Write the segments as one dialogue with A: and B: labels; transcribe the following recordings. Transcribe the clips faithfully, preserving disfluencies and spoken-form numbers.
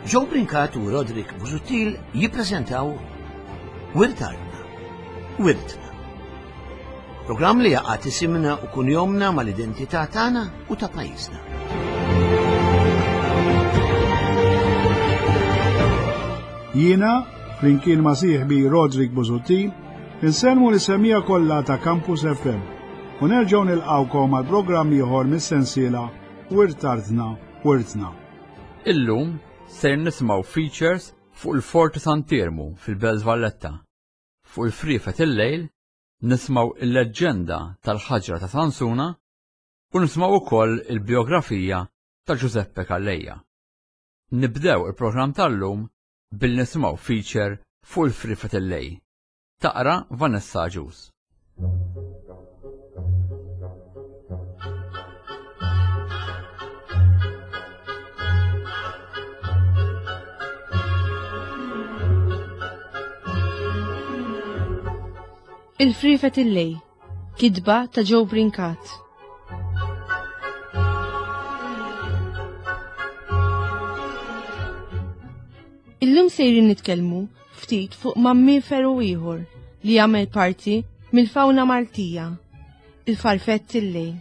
A: Joe Brincat u Roderick Busuttil jippreżentaw Wirt Artna, Wirtna. Programm li jaqgħad isimna u kunjomna mal-identità tagħna u ta' pajjiżna.
B: Jiena, flimkien ma' sieħbi Roderick Busuttil, insellmu lis-semmiegħa kollha ta' Campus F M u nerġgħu nilqgħukom għal programm ieħor mis-sensiela Wirt Artna, Wirtna.
C: Illum ser nisimgħu features fuq il-Forti Sant'Iermu fil-Belt Valletta, fuq il-friefet il-lejl, nisimgħu il-leġġenda tal-ħaġra ta' Sansuna u nisimgħu ukoll il-biografija ta' Giuseppe Calleja. Nibdew il-programm tal-lum billi nisimgħu feature fuq il-friefet il-lejl. Taqra Vanessa Agius.
D: Il-friefet il-lejl, kitba ta' Joe Brincat. Illum sejrin nitkellmu ftit fuq mammiferu ieħor li jagħmel parti mill-fawna Maltija, il-farfett il-lejl,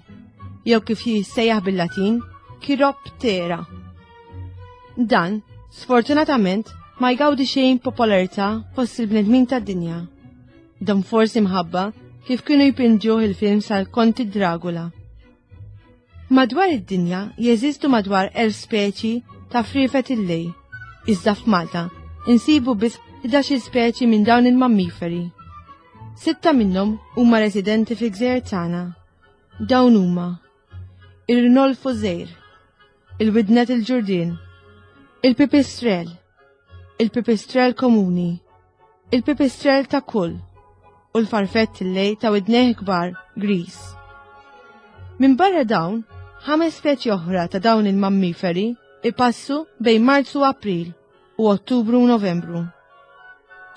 D: jew kif jissejjaħ bil-Latin, Chiroptera. Dan, sfortunatament, ma jgawdi xejn popolarità fost il-bnedmin tad-dinja. Dan forsi mħabba kif kienu jpinġuh il-film sal-Konti Dragula. Madwar id-dinja jeżistu madwar elf speċi ta' friefet il-lejl, iżda f'Malta insibu biss ħdax-il speċi minn dawn il-mammiferi. Sitta minnhom huma residenti fil-gżejjer tagħna. Dawn huma ir-rinolfu żgħir, il-widnet il-ġurdien, il-pipistrel, il-pipistrel komuni, il-pipistrel ta' kull u l-farfett il-lejl ta' widnejh kbar gris. Minn barra dawn, ħames speċi oħra ta' dawn il-mammiferi ipassu bejn Marzu u April u Ottubru u Novembru.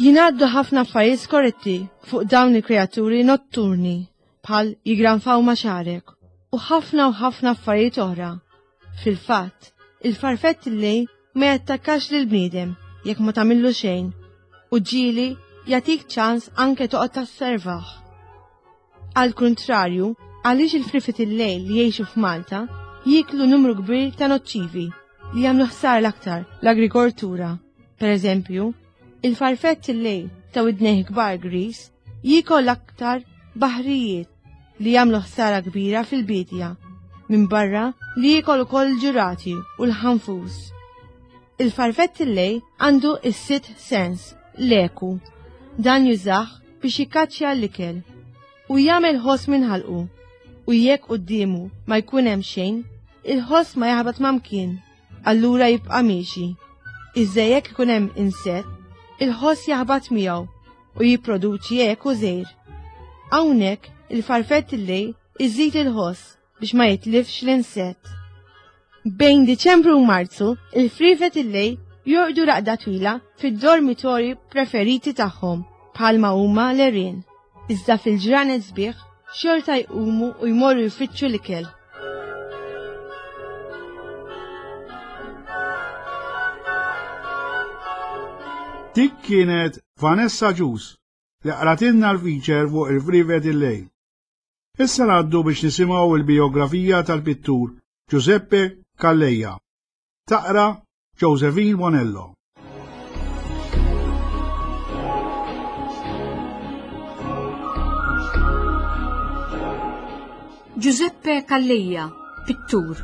D: Jingħaddu ħafna affarijiet skorretti fuq dawn il-kreaturi notturni bħal jigranfaw ma' xagħrek u ħafna u ħafna affarijiet oħra. Fil-fatt, il-farfett il-lejl ma jattakkax lil bniedem jekk ma tagħmillu xejn u ġieli jagħtik ċans anke toqgħod tasservaħ. Għal kuntrarju, għaliex il-friefet il-lejl li jgħixu f'Malta jieklu numru kbir ta' noċċivi li jagħmlu ħsar l-aktar l-agrikoltura. Per eżempju, il-farfett il-lejl ta' widnejh kbar gris jiekol l-aktar baħrijiet li jagħmlu ħsara kbira fil-bidja, minn barra li jiekol ukoll il-ġurati u l-ħanfus. Il-farfett il-lejl għandu is-sitt sens, l-eku. Dan jużah biex jikkaċċja l-ikel u jagħmel ħoss minn ħalqu, u jekk quddiemu ma jkun hemm xejn, il-ħoss ma jaħbat ma' mkien, allura jibqa' miexi. Iżda jekk ikun hemm insett, il-ħoss jaħbat miegħu u jipproduċi eku żgħir. Hawnhekk il-farfett il-lejl iżid il-ħoss biex ma jitlifx l-insett. Bejn Diċembru u Marzu, il-friefet il-lejl jorqdu raqda twila fid-dormitori preferiti tagħhom bħalma huma l-għerien. Iżda fil-ġranet sbieħ xorta jqumu u jmorru jfittxu l-ikel.
B: Dik kienet Vanessa Agius li qratilna l-feature fuq il-friefet il-lejl. Issa ngħaddu biex nisimgħu il-biografija tal-pittur Giuseppe Calleja. Taqra Josephine Bonello.
E: Giuseppe Calleja, pittur.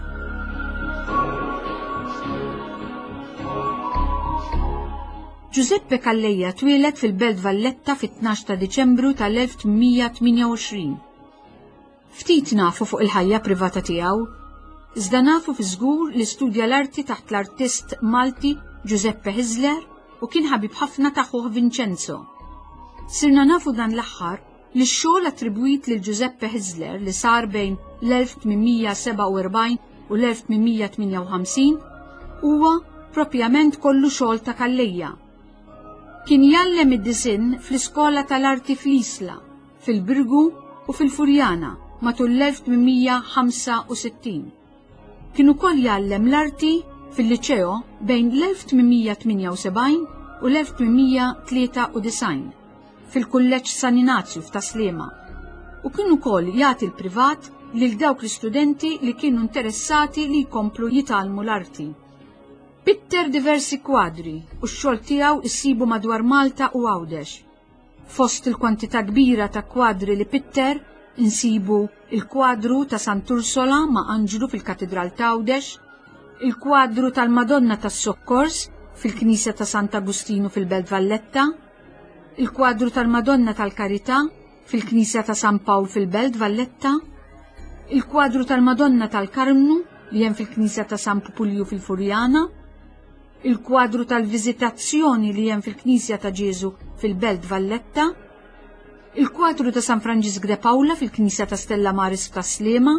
E: Giuseppe Calleja twieled fil-Belt Valletta fit-tnax ta' Diċembru tal-elf tmien tmienja u għoxrin. Ftit nafu fuq il-ħajja privata tiegħu, iżda nafu fi żgur li studja l-arti taħt l-artist Malti Giuseppe Hyzler u kien ħabib ħafna ta' ħuh Vincenzo. Sirna nafu dan l-aħħar li x-xogħol attribwit lil Giuseppe Hyzler li sar bejn l-elf tmien sebgħa u erbgħin u l-elf tmien tmienja u ħamsin huwa propjament kollu xogħol ta' Calleja. Kien jgħallem id-disinn fl-iskola tal-arti fl-Isla, fil-Birgu u fil-Furjana matul l-elf tmien ħamsa u sittin. Kien ukoll jgħallem l-arti fil-liċeo bejn l-elf tmien mija tmienja u sebgħin u l-elf tmien mija tlieta u disgħin fil-Kulleġġ San Inazju f'Tas-Sliema, u kien ukoll jagħti l-privat lil dawk l-istudenti li kienu interessati li jkomplu jitgħallmu l-arti. Pitter diversi kwadri u x-xogħol tiegħu issibu madwar Malta u Għawdex. Fost il-kwantità kbira ta' kwadri li pitter insibu il-kwadru ta' Sant'Ursola ma' Anġlu fil-Katidral ta' Għawdex, il-kwadru tal-Madonna tas-Sokkors fil-Knisja ta' Sant'Agostinu fil-Belt Valletta, il-kwadru tal-Madonna tal-Karità fil-Knisja ta' San Pawl fil-Belt Valletta, il-kwadru tal-Madonna tal-Karmnu li hemm fil-Knisja ta' San Pupulju fil-Furjana, il-kwadru tal-Viżitazzjoni li hemm fil-Knisja ta' Ġesu fil-Belt Valletta, il-kwadru ta' San Franġisk de Paula fil-Knisja ta' Stella Maris f'Tas-Sliema,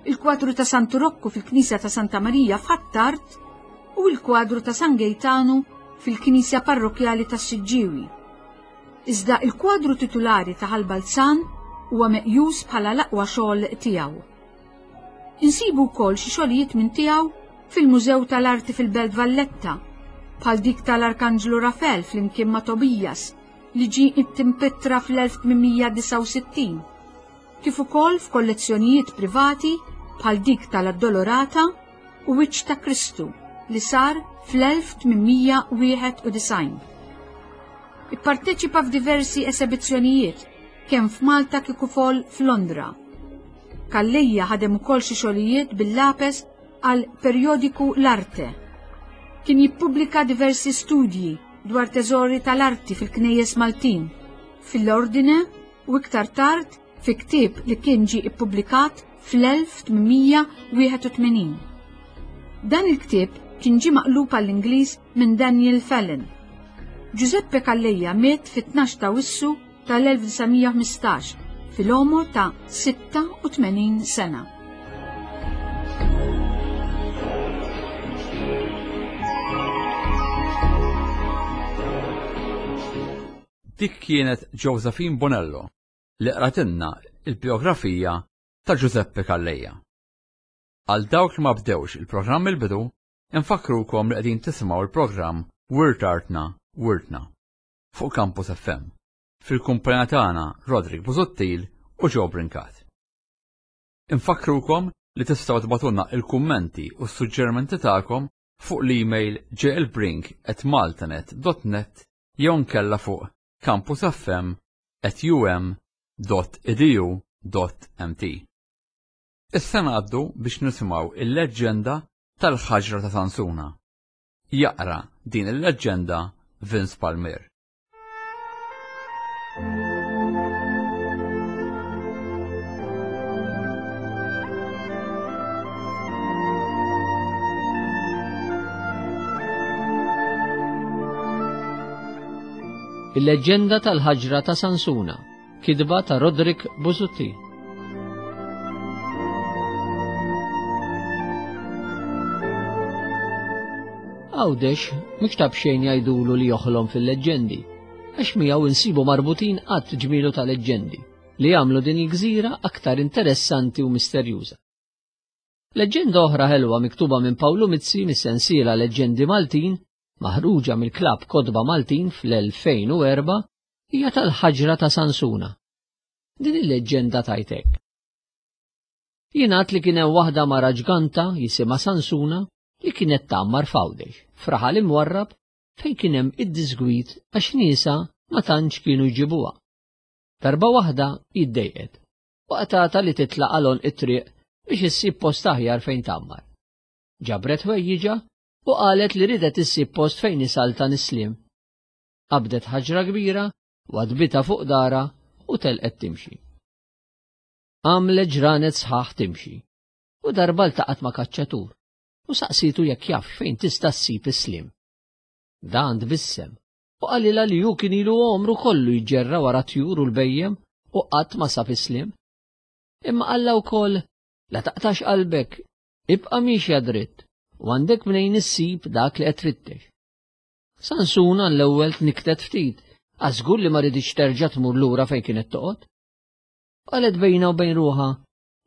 E: il-kwadru ta' Santu Rocco fil-Knisja ta' Santa Marija f'Ħ'Attard u il-kwadru ta' San Gejtanu fil-Knisja Parrokjali ta' Siġġiewi. Iżda il-kwadru titulari ta' Ħal Balzan huwa meqjus bħala l-aqwa xogħol tiegħu. Insibu wkoll xi xogħlijiet minn tiegħu fil-Mużew tal-Arti fil-Belt Valletta, bħal dik tal-Arkanġlu Rafel flimkien ma' Tobias li ġie impitter fl-elf tmien mija disgħa u sittin, kif ukoll f'kollezzjonijiet privati bħal dik tal-Addolorata u Wiċċ ta' Kristu li sar fl-elf tmien mija wieħed u disgħin. Ipparteċipa f'diversi esebizzjonijiet kemm f'Malta kif ukoll f'Londra. Calleja ħadem ukoll xi xogħlijiet bil-lapes għal perjodiku L-Arte. Kien jippubblika diversi studji dwar teżori tal-arti fil-knejjes Maltin, fil-Ordine u iktar tard fi ktieb li kien ġie ippubblikat fl-elf tmien mija wieħed u tmenin. Dan il-ktieb kien ġie maqlub għall-Ingliż minn Daniel Fallon. Giuseppe Calleja miet fit-tnax ta' Awwissu tal-elf disa' mija ħmistax fil-għomor ta' sitta u tmenin sena.
C: Dik kienet Josephine Bonello li qratilna il-biografija ta' Giuseppe Calleja. Għal dawk li ma bdewx il-programm il-bidu, infakkrukom li qegħdin tisimgħu il-programm Wirt Artna Wirtna fuq Campus F M fil-kumpanija tagħna Roderick Busuttil u Joe Brincat. Infakkrukom li tistgħu tibagħtulna il-kummenti u s-suġġerimenti tagħkom fuq l-email jlbrink at maltanet dot net jew nkella fuq campus f m at u m dot e d u dot m t. Issa ngħaddu biex nisimgħu il-leġġenda tal-ħaġra ta' Sansuna. Jaqra din il-leġġenda Vince Palmier.
F: Il-leġġenda tal-ħaġra ta' Sansuna, kitba ta' Roderick Busuttil. Għawdex mhux ta' b'xejn jgħidulu li joħlom fil-leġġendi, għax miegħu insibu marbutin qatt ġmielu ta' leġġendi li jagħmlu din il-gżira aktar interessanti u misterjuża. Leġġenda oħra ħelwa miktuba minn Pawlu Mizzi mis-sensiela Leġġendi Maltin, maħruġa mill-Klabb Kotba Maltin fl-elfejn u erba', hija tal-ħaġra ta' Sansuna. Din il-leġġenda tajtek. Jingħad li kien hemm waħda mara ġganta jisimha Sansuna li kienet tgħammar f'Għawdex, f'raħal imwarrab fejn kien hemm id-disgwit għax niesa ma tantx kienu jġibuha. Darba waħda jiddejqet u qatgħatha li titlaq għal għonq it-triq biex issib post aħjar fejn tgħammar. Ġabret ħwejjiġha u qalet li ridet issib post fejn isaltan is-sliem. Qabdet ħaġra kbira u għadbitha fuq dara u telqet timxi. Għamlet ġranet sħaħ timxi u darba ltaqgħet ma' kaċċatur u saqsitu jekk jaf fejn tista' ssib is-sliem. Dan tbissem u qalilha li hu kien ilu għomru kollu jġerra wara tjur u l-bejjem u qatt ma sab is-sliem. Imma qallha wkoll la taqtax qalbek, ibqa' miexja dritt u għandek mnejn issib dak li qed tfittex. Sansuna l-ewwel tniktet ftit, għax żgur li ma riditx terġa' tmur lura fejn kienet toqgħod. Qalet bejna u bejn ruħha,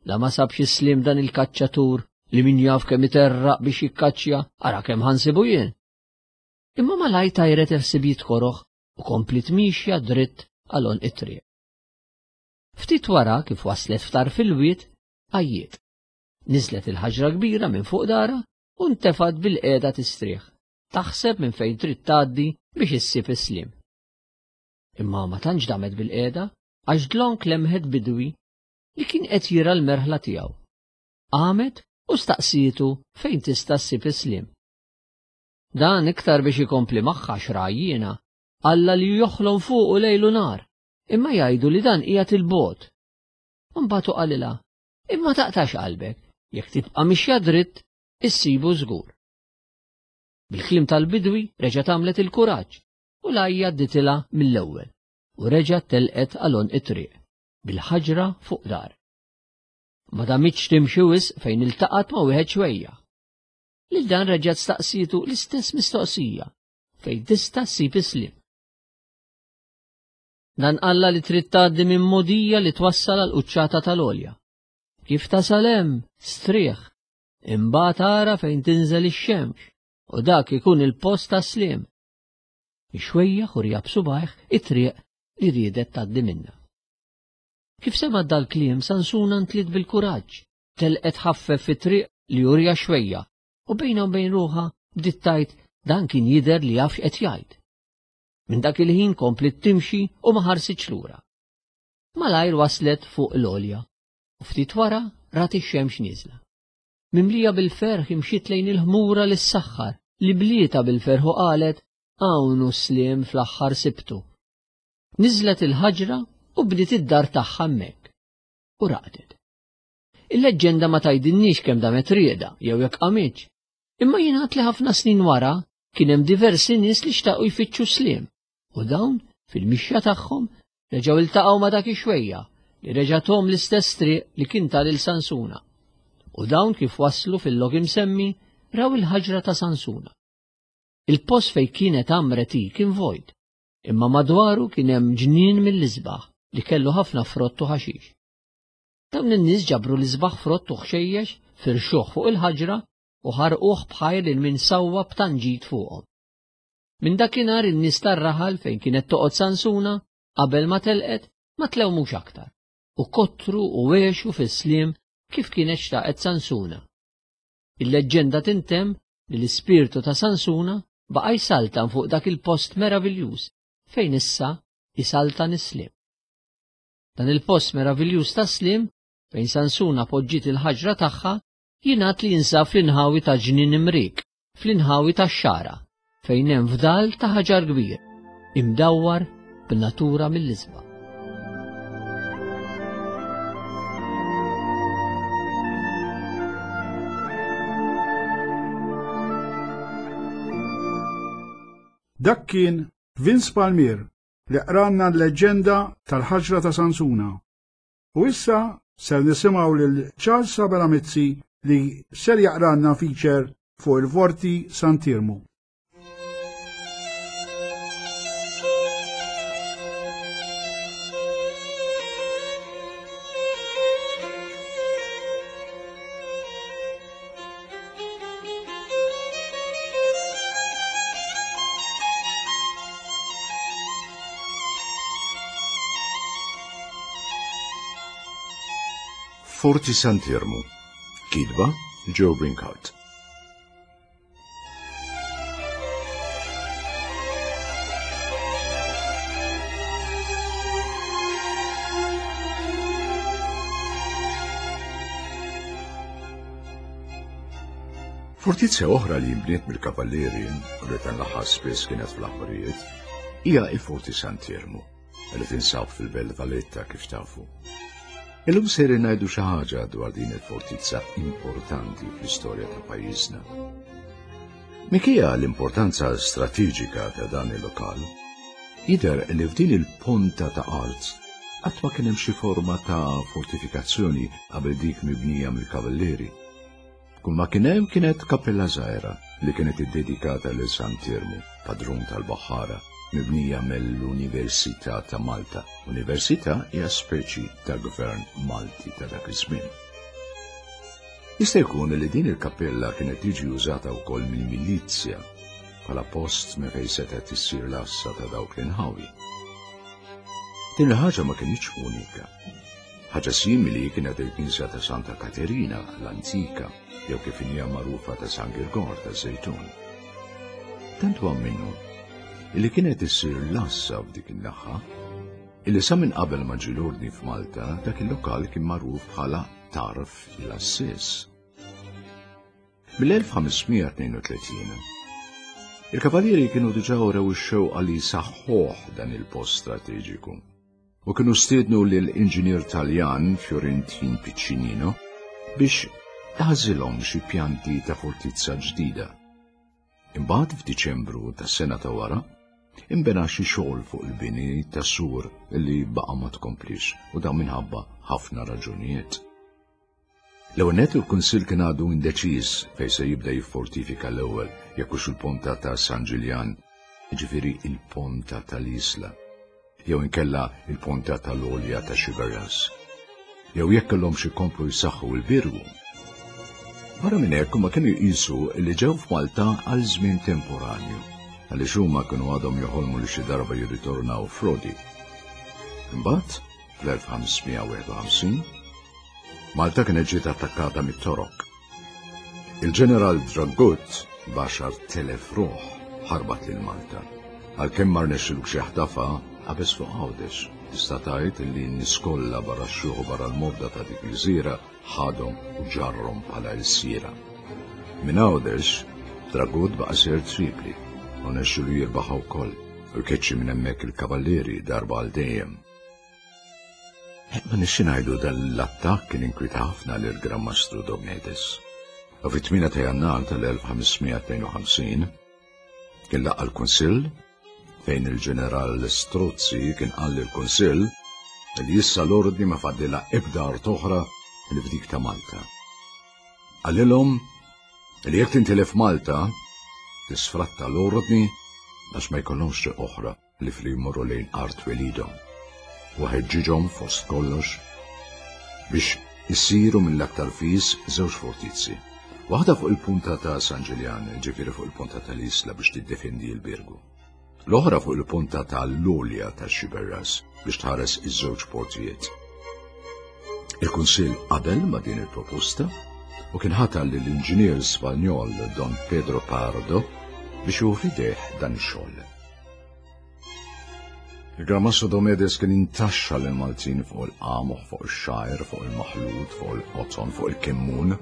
F: la ma sabx is-sliem dan il-kaċċatur li min jaf kemm iterraq biex jikkaċċja, ara kemm ħansibu jien. Imma malaj tajret il-ħsibijiet koroħ u komplit mixja dritt għal it-triq. Ftit wara kif waslet ftar fil-wied, għajjiet. Niżlet il-ħaġra kbira minn fuq dara u ntefgħet bil-qiegħda tistrieħ, taħseb minn fejn trid tgħaddi biex issib is-sliem. Imma ma tantx damet bil-qiegħda għax dlonk lemħet bidwi li kien qed jira l-merħla tiegħu. Qamet u staqsietu fejn tista' ssib is-sliem. Dan iktar biex ikompli magħha xrajjiena, Alla li joħlom fuqu lejlu nar, imma jgħidu li dan qiegħed il-bogħod. Imbagħad qalilha, imma taqtax qalbek, jekk tibqa' mixja dritt, issibu żgur. Bil-kliem tal-bidwi reġgħet għamlet il-kuraġġ u l-għajja dditilha mill-ewwel u reġgħet telqet għal it-triq bil-ħaġra fuq dar. Ma damitx timxi wisq fejn iltaqgħet ma' wieħed xwejja. Lil dan reġgħet staqsietu l-istess mistoqsija fejn tista' ssib is-sliem. Dan qalla li trid tgħaddi minn mogħdija li twassal għal quċċata tal-għolja. Kif tasal hemm, strieħ, imbagħad ara fejn tinżel ix-xemx u dak ikun il-post tas-sliem. Ix-xwejjaħ u rjab subajh it-triq li riedet tgħaddi minnha. Kif semgħet dal-kliem Sansuna ntliet bil-kuraġġ, telqet ħaffef fit-triq li urja xwejja u bejna u bejn ruħha bdiet tgħid dan kien jidher li jaf x'qed jgħid. Minn dak il-ħin komplet timxi u ma ħarsitx lura. Malajr waslet fuq l-għolja u ftit wara rat ix-xemx nieżla. Mimlija bil-ferħ imxiet lejn il-ħmura li ssaħħar li blieta bil-ferħ u qalet hawn hu s-sliem fl-aħħar sibtu. Niżlet il-ħaġra u bdiet id-dar tagħha hemmhekk u raqdet. Il-leġġenda ma tgħidilniex kemm damet rieda jew jekk qamitx, imma jingħad li ħafna snin wara kien hemm diversi nies li xtaqu jfittxu sliem u dawn fil-mixja tagħhom reġgħu iltaqgħu ma' dak ix-xwejja li reġa' thom l-istess triq li kien ta lil Sansuna. U dawn kif waslu fil-lok imsemmi raw il-ħaġra ta' Sansuna. Il-post fejn kienet għamret hi kien vojt, imma madwaru kien hemm ġnien mill-isbaħ li kellu ħafna frott u ħaxix. Dawn in-nies ġabru l-isbaħ frott u ħxejjex firxuh fuq il-ħaġra u ħarquh bħajr lil min sawwa b'tanġit fuqhom. Minn dakinhar in-nies tar-raħal fejn kienet toqgħod Sansuna qabel ma telqet ma tlewmux aktar u kottru u għexu fis-sliem kif kienet xtaqet Sansuna. Il-leġġenda tintemm li l-ispirtu ta' Sansuna baqa' jsaltan fuq dak il-post meraviljuż fejn issa jsaltan is-sliem. Dan il-post meraviljuż tas-sliem fejn Sansuna poġġiet il-ħaġra tagħha jingħad li jinsab fl-inħawi ta' Ġnien Imrik, fl-inħawi tax-Xagħra, fejn hemm fdal ta' ħaġar kbir, imdawwar b'natura mill-isbaħ.
B: Dak kien Vince Palmier li qranna l-leġġenda tal-ħaġra ta' Sansuna. U issa ser nisimgħu lil Charles Sabella Mizzi li ser jaqranna feature fuq il-Forti Sant'Iermu.
G: Forti Sant'Iermu, kitba Joe Brincat. Fortizza oħra li nbniet mill-Kavallieri u li tan l-aħħar spiss kienet fl-aħbarijiet hija il-Forti Sant'Iermu li tinsab fil-Belt Valletta kif tafu. Illum ser ngħidu xi ħaġa dwar din il-fortizza importanti fl-istorja ta' pajjiżna. Minkejja l-importanza strateġika ta' dan il-lokal, jidher li f'din il-ponta ta' art qatt ma kien hemm xi forma ta' fortifikazzjoni qabel dik mibnija mill-Kavallieri. Kull ma kien hemm kienet kappella żgħira li kienet iddedikata lil Sant'Iermu, padrun tal-Baħħara, mibnija mill-Università ta' Malta. Università hija speċi ta' gvern Malti ta' dak iż-żmien. Jista' jkun li din il-kappella kienet tiġi użata wkoll mill-milizja bħala post minn fejn setgħet issir l-għassa ta' dawk l-inħawi. Din il-ħaġa ma kinitx unika. Ħaġa simili kienet il-knisja ta' Santa Katerina, l-antika, jew kif hija magħrufa ta' San Girgor ta' Żejtun. Tant huwa minnu illi kienet issir l-għassa f'dik in-naħa, illi sa minn qabel ma ġie l-ordni f'Malta dak il-lokal kien magħruf bħala Tarf l-Assis. Mill-elf ħames mija tnejn u tletin, il-kavallieri kienu diġà urew ix-xewqa li jsaħħuh dan il-post strateġiku u kienu stiednu lill-inġinier Taljan Fiorentin Piccinino biex jagħżilhom xi pjanti ta' fortizza ġdida. Imbagħad f'Diċembru tas-sena ta' wara, imbena xi xogħol fuq il-bini ta' sur li baqa' ma tkomplix u dan minħabba ħafna raġunijiet. L-ewwel nett il-Kunsill kien għadu indeċiż fejn se jibda jiffortifika l-ewwel, jekk hux il-ponta ta' San Ġiljan, jiġifieri il-ponta tal-Isla, jew inkella il-ponta tal-Għolja ta' Xiberras, jew jekk kellhomx ikomplu jsaħħu l-Birgu. Barra minn hekk huma kienu jqisu li ġew f'Malta għal żmien temporanju, għaliex huma kienu għadhom joħolmu li xi darba jirritornaw f'Rodi. Imbagħad, fl-elf ħames mija wieħed u ħamsin, Malta kienet ġiet attakkata mit-Torok. Il-ġeneral Dragut b'għaxar telef ruħ ħarbat lil Malta. Għalkemm ma rnexxilux jaħtafha, qabeż fuq Għawdex. Tista' tgħid li n-nies kollha barra x-xjuħ u barra l-morda ta' dik il-gżira ħadhom u ġarrhom bħala lsiera. Minn Għawdex, Dragut baqa' sejjer Tripli u rnexxilu jirbaħha wkoll u jkeċċi minn hemmhekk il-kavallieri darba għal dejjem. Ma nixxi ngħidu dan l-attakk kien inkwieta ħafna lil Gran Mastru Domedes. U fit-tmienja ta' Jannar tal-elf ħames mija tnejn u ħamsin kien laqqa' l-Kunsill fejn il-ġeneral Strozzi kien qal lill-Kunsill li issa l-ordni ma fadlilha ebda art oħra li f'dik ta' Malta. Qalilhom li jekk tintilef Malta tisfratta l-ordni għax ma jkollhomx triq oħra li fli jmorru lejn art twelidhom. U ħeġġiġhom fost kollox biex isiru mill-aktar fis żewġ fortizzi. Waħda fuq il-punta ta' San Ġiljan, ġifieri fuq il-punta tal-Isla biex tiddefendi l-Birgu. L-oħra fuq il-punta tal-Lulja ta' Xiberras biex tħares iż-żewġ portijiet. Il-Kunsill qabel ma' din il-proposta u kien ħatar lill-inġinier Spanjol Don Pedro Pardo biex hu fideh dan ix-xogħol. Il-Gran Mastru Domedes kien intaxxa lil Maltin fuq il-qamuħ, fuq ix-xgħir, fuq il-maħlut, fuq il-qoton, fuq il-kemmun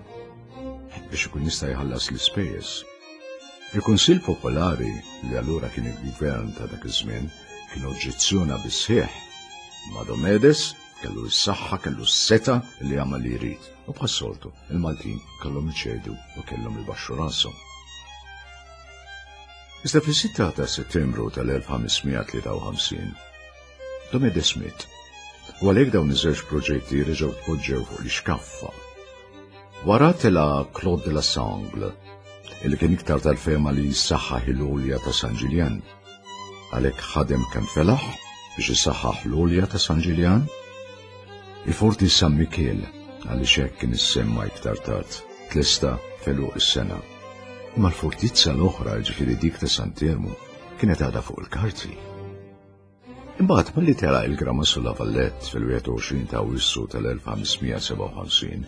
G: biex ikun jista' jħallas l-ispejjeż. Il-Kunsill Popolari, li allura kien il-gvern ta' dak iż-żmien, kien oġġezzjona bis-sħiħ. Ma Domedes kellu s-saħħa, kellu s-seta li jagħmel li jrid. U bħas-soltu, il-Maltin kellhom iċedu u kellhom ibaxxu rashom. Iżda fis-sitta ta' Settembru tal-elf ħames mija tlieta u ħamsin, Domedes miet. U għalhekk dawn iż-żewġ proġetti reġgħu tpoġġew fuq l-ixkaffa. Wara tela Claude de la Sangle, illi kien iktar tal-fema li jissaħħaħ il-għolja ta' San Ġiljan. Għalhekk ħadem kemm felaħ biex isaħħaħ l-għolja ta' San Ġiljan. Il-Forti San Mikiel, għaliex hekk kien issemma iktar tard, tlesta felu is-sena. Imma l-fortizza l-oħra, ġifieri dik ta' Sant'Ermu, kienet għadha fuq il-karti. Imbagħad malli tela il-Gran Mastru La Valette fil-wieħed u għoxrin ta' Awwissu tal-elf ħames mija sebgħa u ħamsin,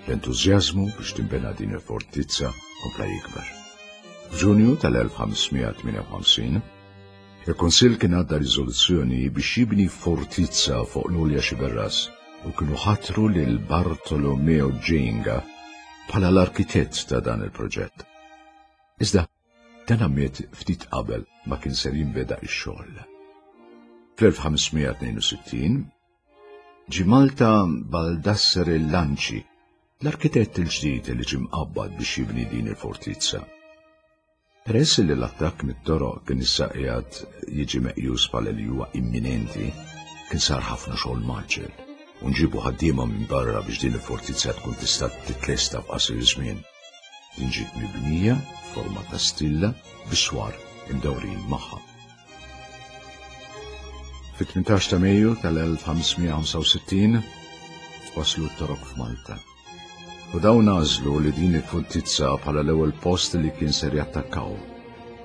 G: l-entużjażmu biex tinbena din il-fortizza kompla jikber. F'Ġunju tal-elf ħames mija tmienja u ħamsin, il-Kunsill kien għadda riżoluzzjoni biex jibni fortizza fuq l-Għolja Xiberras u kienu ħatru lil Bartolomeo Ġenga bħala l-arkitett ta' dan il-proġett. Iżda, dan miet ftit qabel ma kien ser jinbeda x-xogħol. Fl-elf ħames mija tnejn u sittin, ġie Malta Baldassare Lanci, l-arkitett il-ġdid li ġie mqabbad biex jibni din il-fortizza. Peress li l-attakk mit-toroq kien issa qiegħed jiġi meqjus bħala li huwa imminenti, kien sar ħafna xogħol maġġel u nġibu ħaddiema minn barra biex din il-fortizza tkun tista' titlesta f'qasir żmien. Din ġiet mibnija f'forma ta' stilla biswar imdawrin magħha. Fit-tmintax ta' Mejju tal-elf ħames mija ħamsa u sittin waslu t-torok f'Malta. U dawn għażlu li din il-fortizza bħala l-ewwel post li kien ser jattakkaw,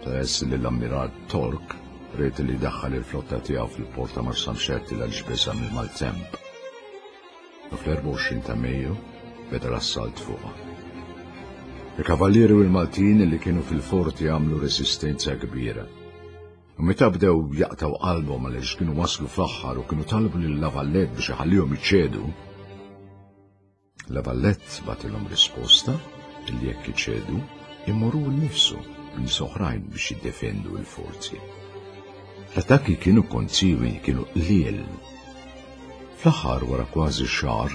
G: peress li l-ammiral Tork ried li daħħal il-flotta tiegħu fil-port ta' Marsamxett għal beża' mill-maltemp. U fl-erbgħa u għoxrin ta' Mejju beda l-assalt fuqha. Il-kavallieri u l-Maltin li kienu fil-forti għamlu resistenza kbira. U meta bdew jaqtaw qalbhom għaliex kienu waslu fl-aħħar u kienu talbu lil La Valette biex iħallihom iċedu, La Valette bagħtilhom risposta li jekk iċedu immorru nnifsu b'nies oħrajn biex jiddefendu l-forzi. L-attakki kienu kontinwi, kienu qliel. Fl-aħħar wara kważi xahar,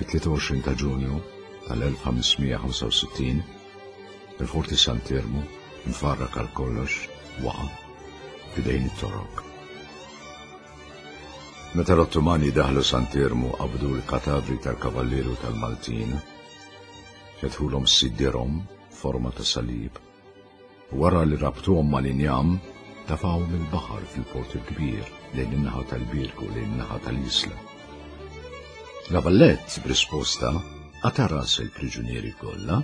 G: fit-tlieta u għoxrin ta' Ġunju tal-elf ħamesmija ħamsa u sittin, il-Forti Sant'Iermu nfarrak għal kollox waqa' f'idejn it-Torok. Meta l-Ottomani daħlu Sant'Iermu qabdu l-katavri tal-kavallieri u tal-Maltin, fetħulhom sidirhom forma ta' salib, u wara li rabtuhom mal-injam tafgħu mill-baħar fil-port il-kbir lejn in-naħa tal-Birgu lejn in-naħa tal-Isla. La Valette, b'risposta, qata' ras il-priġunieri kollha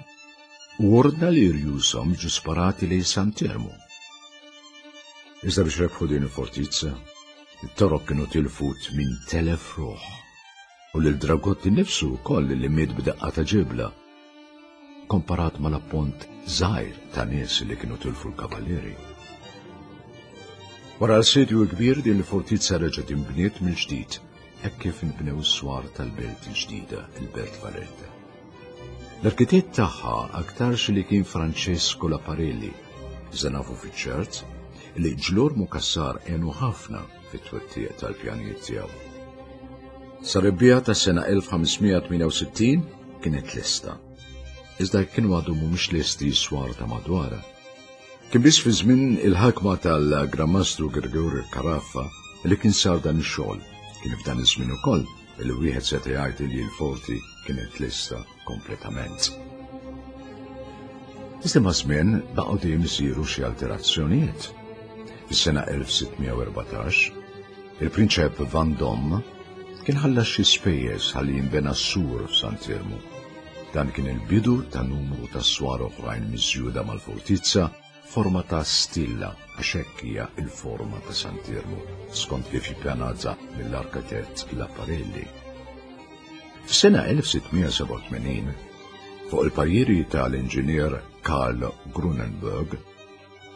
G: u ordna li rjushom jiġu sparati lejn Sant'Iermu. Iżda biex rebħu din il-fortizza, it-Torok kienu tilfu tmien telef ruħ u lil Dragotti nnifsu wkoll li miet b'daqqa ta' ġibla, komparat mal-appont żgħir ta' nies li kienu tilfu l-kavallieri. Wara l-assedju kbir din il-fortizza reġgħet inbniet mill-ġdid, hekk kif inbnew s-swar tal-belt il-ġdida, il-Belt Valletta. L-arkitett tagħha aktarx li kien Francesco Laparelli, iżda nafu fiċ-ċert li Ġlormu Cassar għenu ħafna fit-twettiq tal-pjanijiet tiegħu. Sa rebbiegħa tas-sena elf ħamesmija tmienja u sittin kienet lesta, iżda kienu għadu mhumiex lesti s-swar ta' madwarha. Kien biss fi żmien il-ħakma tal-Gran Mastru Gregorio Carafa li kien sar dan ix-xogħol. Kien f'dan iż-żmien ukoll li wieħed seta' jgħid li l-forti kienet lesta kompletament. Iżda ma' żmien baqgħu dejjem isiru xi alterazzjonijiet. Fis-sena elf sittmija u erbatax, il-Prinċep Vendôme kien ħallas xi spejjeż ħalli jinbena s-sur f'Sant'Iermu. Dan kien il-bidu ta' numru ta' swar oħrajn miżjuda mal-fortizza forma ta' stilla, għax hekk hija il-forma ta' Sant'Iermu, skont kif ippjanata mill-arkitett Laparelli. Fis-sena elf sittmija sebgħa u tmenin, fuq il-pariri tal-inġinier Karl Grunenberg,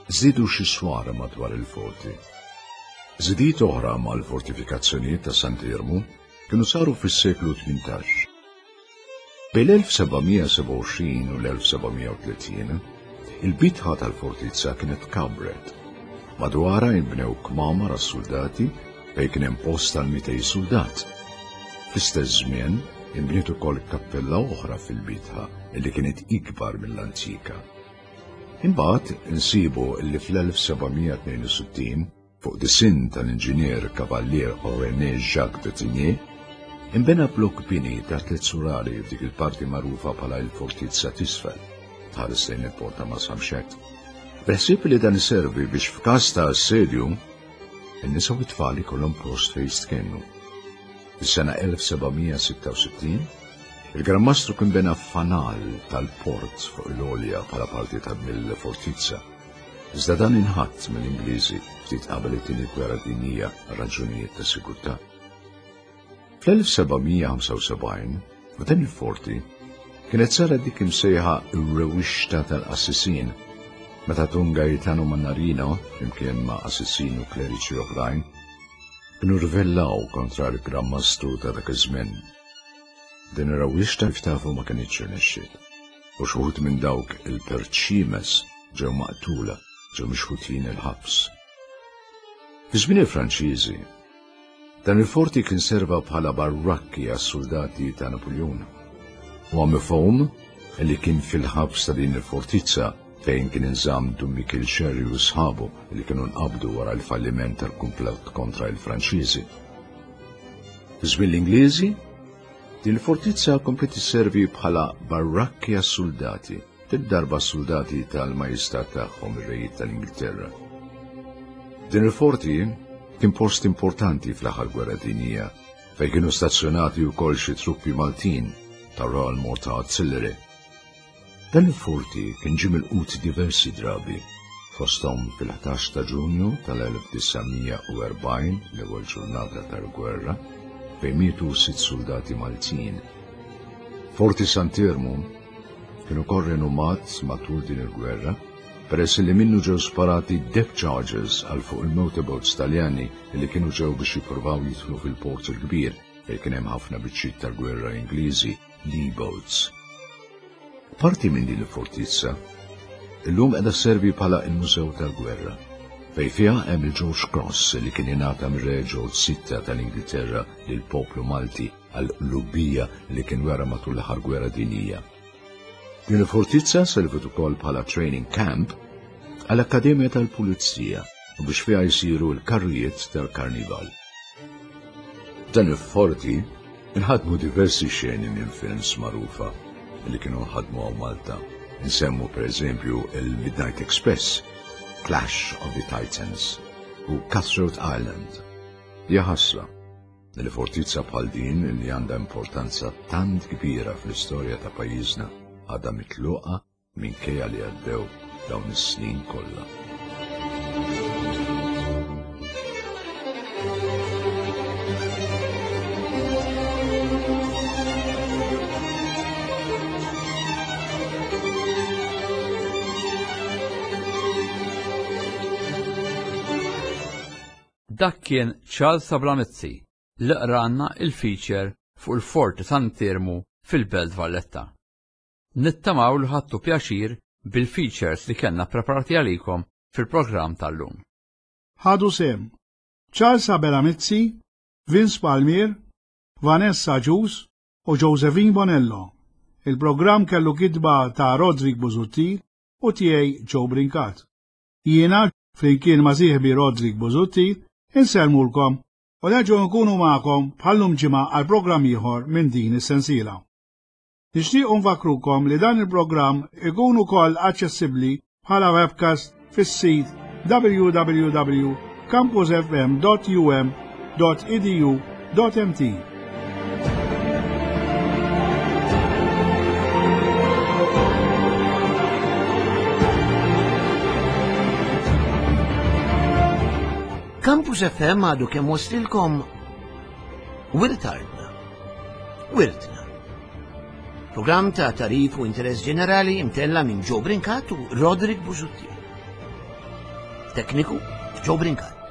G: żdiedu xi swar madwar il-forti. Żidiet oħra mal-fortifikazzjonijiet ta' Sant'Iermu kienu saru fis-seklu tmintax. Bejn l-elf sebgħamija sebgħa u għoxrin u l-elf sebgħamija u tletin, il-bitħa tal-fortizza kienet kabret. Madwarha inbnew kmamar għas-soldati fejn kien hemm post għal mitej soldat. Fl-istess żmien inbniet ukoll kappella oħra fil-bitħa li kienet ikbar mill-antika. Imbagħad insibu li fl-elf sebgħamija tnejn u sittin fuq disinn tal-inġinier Kavallier René Jacques de Tigné inbena blok bini ta' tliet surali f'dik il-parti magħrufa bħala l-fortizza t'isfel, tħares lejn il-porta ma' Samxett. Bil-ħsieb li dan iservi biex f'każ ta' assedju, in-nisa u t-tfal ikollhom post fejn jistkennu. Fis-sena elf sebgħamija sitta u sittin, il-Gran Mastru kien bena fanal tal-port fuq l-għolja bħala parti ta' mill-fortizza. Iżda dan inħatt mill-Ingliżi ftit qabel it-tieni gwerra dinjija għal raġunijiet ta' sigurtà. Fl-elf sebgħamija ħamsa u sebgħin, f'dan il-forti, kienet saret dik imsejħa r-rewixta tal-qassisin, meta Dun Gaetano Mannarino, flimkien ma' qassisin u kleriċi oħrajn, kienu rvellaw kontra l-Gran Mastru ta' dak iż-żmien. Din ir-rewixta kif tafu ma kinitx irnexxiet, u xi wħud minn dawk il-perċimes ġew maqtula, ġew mixħutin il-ħabs. Fi żmien il-Franċiżi, dan il-forti kien serva bħala barrakki għas-soldati ta' Napoleon. U mifhum li kien fil-ħabs ta' din il-fortizza fejn kien inżamm Dun Mikiel Xerri u sħabu li kienu nqabdu wara l-falliment tal-kumplott kontra il-Franċiżi. Fi żmien l-Ingliżi, din il-fortizza kompliet isservi bħala barrakki għas-soldati, fid-darba soldati tal-majestà tagħhom ir-rejiet tal-Ingilterra. Din il-forti kien post importanti fl-aħħar gwerra dinjija fejn kienu stazzjonati wkoll xi truppi Maltin tar-Royal Malta Artillery. Dan il-forti kien ġie milqut diversi drabi, fosthom fil-ħdax ta' Ġunju tal-elf disa' mija u erbgħin, l-ewwel ġurnata tal-gwerra, fejn mietu sitt soldati Maltin. Forti Sant'Iermu kien ukoll renomat matul din il-gwerra, peress li minnu ġew sparati depth charges għal fuq il-motorboats Taljani li kienu ġew biex jippruvaw jidħlu fil-port il-kbir fejn kien hemm ħafna biċċiet tal-gwerra Ingliżi, Lee-boats. Parti minn din il-fortizza illum qiegħda sservi bħala il-Mużew tal-Gwerra, fejn fiha hemm il-George Cross li kien ingħata mir-Re George sitta tal-Ingilterra lill-poplu Malti għal qlubija li kien wera matul l-aħħar gwerra dinjija. Din il-fortizza serviet ukoll bħala training camp għall-Akkademja tal-Pulizija u biex fiha jsiru l-karrijiet tal-Karnival. Dan il-forti inħadmu diversi xeni minn films magħrufa li kienu nħadmu hawn Malta. Nsemmu per eżempju il-Midnight Express, Clash of the Titans u Cutthroat Island. Hija ħasra li fortizza bħal din li għandha importanza tant kbira fl-istorja ta' pajjiżna għadha mitluqa minkejja li għaddew dawn is-snin kollha.
C: Dak kien Charles Abela Mizzi li qranna il-feature fuq il-Forti Sant'Iermu fil-Belt Valletta. Nittamaw li ħadtu pjaċir bil-features li kellna preparati għalikom fil-programm tal-lum.
B: Ħadu sem Charles Abela Mizzi, Vince Palmier, Vanessa Ġus u Josephine Bonello. Il-programm kellu kitba ta' Roderick Busuttil u tiegħi Joe Brincat. Jiena, flimkien ma' sieħbi Roderick Busuttil, insellmulkom u nerġgħu nkunu magħkom bħallum ġimgħa għal programm ieħor minn din is-sensiela. Nixtiequ nfakrukom li dan il-programm ikun ukoll aċċessibbli bħala webcast fis-sit w w w campus f m dot u m dot e d u dot m t.
A: Campus F M għadu kemm waslilkom Wirt Artna, Wirtna. Programm ta' tarif u interess ġenerali imtella minn Joe Brincat u Roderick Busuttil. Tekniku Joe Brincat.